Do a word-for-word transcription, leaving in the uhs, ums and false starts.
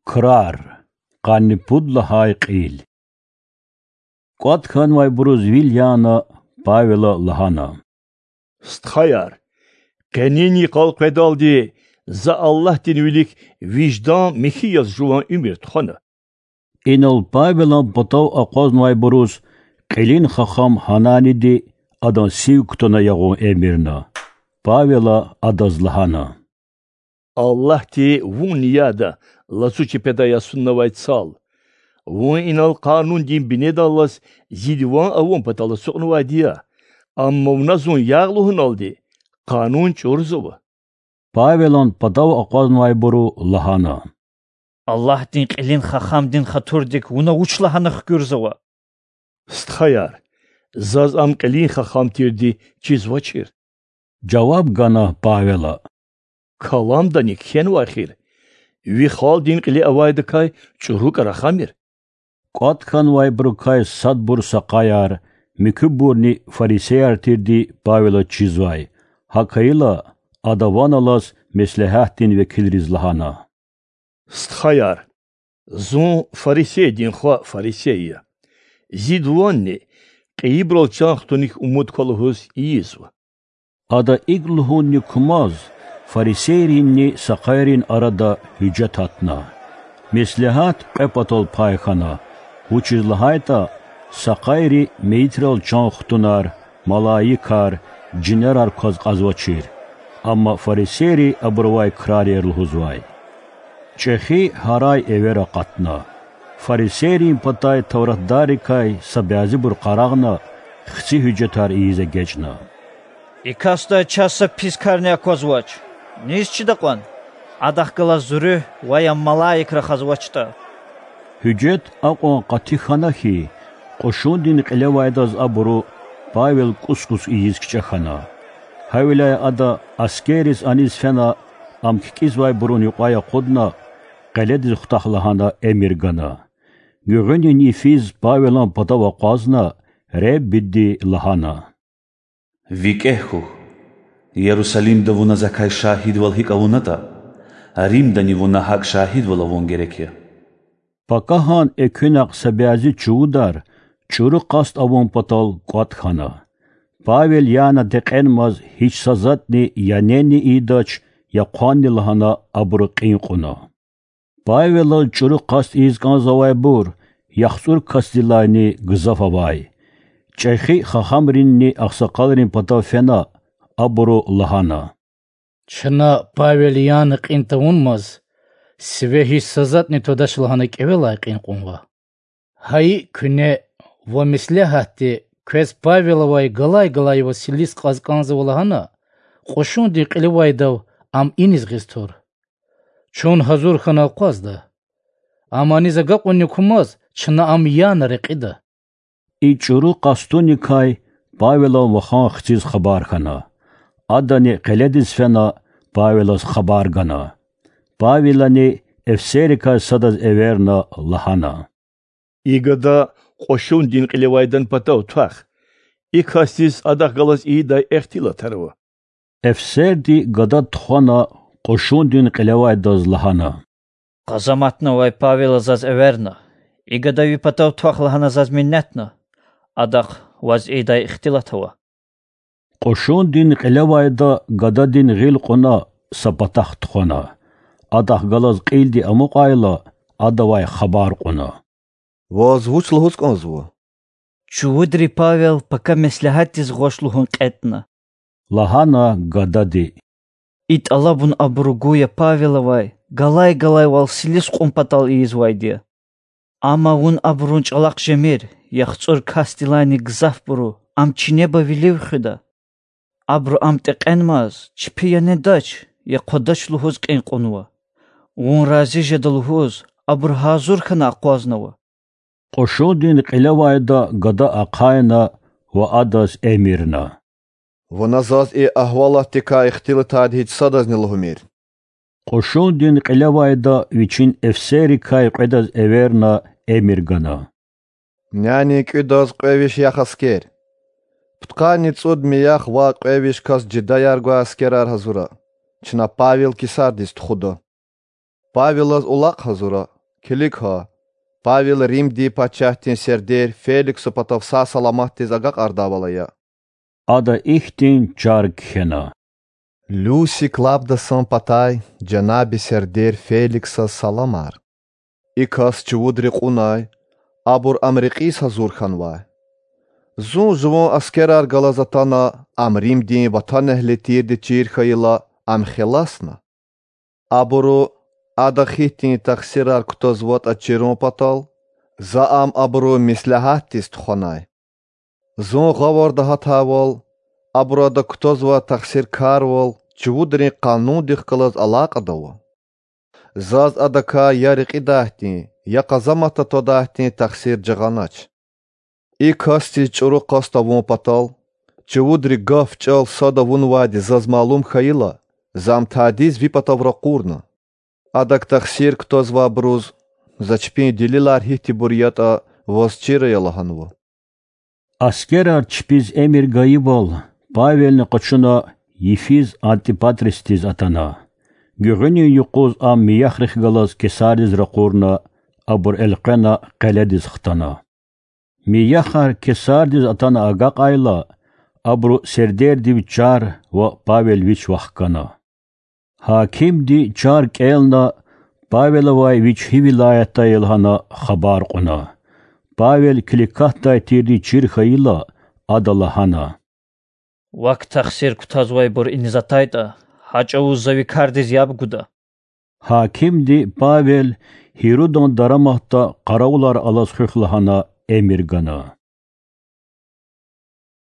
Крар. Къанни пуд лагьай кьил. КӀватӀ хьанвайбуруз вил яна, Павела лагьана: Стхаяр, къенин йикъал къведалди за Аллагьдин вилик виждан михьи яз жуван уьмуьр тухвана. Инал Павелан патав акъвазнавайбуруз кьилин хахам Гьананиди адан сив кутуна ягъун эмирна. Павела адаз лагьана: Аллагьди вун ниядда лацу чепедай ясуннавай цал. Вун инал къанундин бинедаллаз зи диван авун патал ацукьнавайди я, амма вуна зун ягъ лугьуналди, къанун чӀурзава. Павелан патав акъвазнавайбуру лагьана: Аллагьдин кьилин хахамдин хатурдик вуна вуч лагьана хкуьрзава? Стхаяр, заз ам кьилин хахам тирди чизвачир,— жаваб гана Павела. Каламдани кхьенвай хьи, ви халкьдин кьиле авайдакай чӀуру кӀарахамир. КӀватӀ хьанвайбурукай садбур сакъаяр, муькуьбурни фарисеяр тирди Павелаз чизвай. ГьакӀ хьайила, ада ван алаз меслягьатдин векилриз лагьана: Стхаяр, зун фарисейдин хва фарисей я. Зи дуванни кьейибурал чан хтуник умуд ква лугьуз ийизва. Ада икӀ лугьунни кумаз фарисейринни сакъайрин арада гьуьжет атна. Меслягьат кьве патал пай хьана, вучиз лагьайтӀа сакъайри мейитрал чан хтунар, малаикар, жинерар кваз кьазвачир, амма фарисейри абурувай крар я лугьузвай. ЧӀехи гьарай эвер акъатна. Фарисейрин патай тавратдаррикай са бязибур къарагъна, хци гьуьжетар ийиз эгечӀна: И касдай чаз са пис карни аквазвач. Низ чида кьван? Адахъ галаз зуру ва я малаик рахазвачтӀа. Гьуьжет акьван къати хьана хьи, кьушундин кьилевайдаз абуру Павел кӀус-кӀус ийиз кичӀе хьана. Гьавиляй ада, аскерриз аниз фена, ам кикӀизвайбурун юкьвай акъудна, къеледиз хутах лагьана эмир гана. Гуьгъуьнин йифиз Павелан патав акъвазна, Реббиди лагьана: ВикӀегь хьухь, Ярусалимда вуна Закай шагьидвал гьикӀ авунатӀа, Римдани вуна гьакӀ шагьидвал авун герек я. Пакагьан экуьнахъ са бязи чувудар чӀуру къаст авун патал кӀватӀ хьана. Павел яна текьенмаз гьич са затӀни я нени ийидач, я хъванни лагьана абуру кьин кьуна. Павелаз чӀуру къаст ийиз кӀанзавайбур яхцӀур касдилайни гзаф авай. ЧӀехи хахамринни агъсакъалрин патав фена, абуру лагьана: Чна Павел яна кьин тавунмаз сиве гьич са затӀни твадач лагьана кӀевелай кьин кьунва. Гьа икӀ куьне ва меслягьатди квез Павелавай галай-галай ваз силис кьаз кӀанзава лагьана, кьушундин кьилевайдав ам иниз гъиз тур. Чун гьазур хьана акъвазда. Ам аниз агакьунни кумаз чна ам яна рекьида. И чӀуру къастуникай Павелан вахан хциз хабар хьана. Адани къеледиз фена, Павелаз хабар гана. Павелани эфсеррикай садаз эверна, лагьана: И гада кьушундин кьилевайдан патав твах. И касдиз адахъ галаз ийидай ихтилатар ава. Эфсерди гада тухвана, кьушундин кьилевайдаз лагьана: Къазаматнавай Павела заз эверна. И гада ви патав твах лагьана заз минетна. Адахъ ваз ийидай ихтилат ава. Кьушундин кьилевайда гададин гъил кьуна, са патахъ тухвана. Адахъ галаз кьилди амукьайла, адавай хабар кьуна: Ваз вуч лугьуз кӀанзава? Чувудри Павел пака меслягьатдиз гъваш лугьун кьетӀна,— лагьана гадади. И тӀалабун абуру гуя Павелавай галай-галайвал силис кьун патал ийизвайди я. Амма вун абурун чӀалахъ жемир, яхцӀур касдилайни гзафбуру ам чинеба вилив хуьда. Абуру ам текьенмаз, чпи я недач, я хъвадач лугьуз кьин кьунва. Вун рази жеда лугьуз, абуру гьазур хьана акъвазнава. Кьушундин кьилевайда гада ахъайна ва адаз эмирна: Вуна заз и агьвалатдикай ихтилатайди гьич садазни лугьумир. Кьушундин кьилевайда вичин эфсеррикай кьведаз эверна, эмир гана: Нянин кӀуьдаз кьве виш яхъ аскер, пудкъанни цӀуд миях ва кьве виш кас жидаяр гвай аскерар гьазура, чна Павел Кесардиз тухуда. Павелаз улакь гьазура, Килиг гьа, Павел Римдин пачагьдин сердер Феликса патав сагъ-саламатдиз агакьардайвал ая. Ада ихьтин чар кхьена: Люси Клавдасан патай жанаби сердер Феликсаз саламар. И кас чувудри кьунай, абур ам рекьиз гьазур хьанвай. Зун жуван аскерар галаз атана, ам Римдин ватанэгьли тирди чир хьайила, ам хеласна. Абуру, ада хьтин тахсирар кутазватӀа чирун патал, за ам абурун меслягьатдиз тухванай. Зун гъавурда гьатайвал, абуру ада кутазвай тахсиркарвал чувудрин къанундихъ галаз алакьада ава. Заз адакай я рекьидайдин, я къазаматда твадайдин тахсир жагъанач. И касдиз чӀуру къаст авун патал, чувудри гаф-чӀал сад авунвайди заз малум хьайила, за ам тадиз ви патав ракъурна. Адак тахсир кутазвайбуруз, за чпин делилар гьихьтинбур ятӀа, ваз чир ая лагьанва. Аскерар чпиз эмир гайивал, Павелни къачуна йифиз Антипатрисдиз атана. Гуьгъуьнин юкъуз ам мияхрихъ галаз Кесардиз ракъурна, абур элкъвена къеледиз хтана. Мияхар Кесардиз атана агакьайла, абуру сердердив чар ва Павел вич вахкана. Гьакимди чар кӀелна, Павелавай вич гьи вилаятда я лагьана хабар кьуна. Павел Киликатдай тирди чир хьайила, ада лагьана: Вак тахсир кутазвайбур иниз атайтӀа, гьа чӀавуз за ви кардиз яб гуда. Гьакимди Павел Гьирудан дараматда къаравулар алаз хуьх лагьана эмир гана.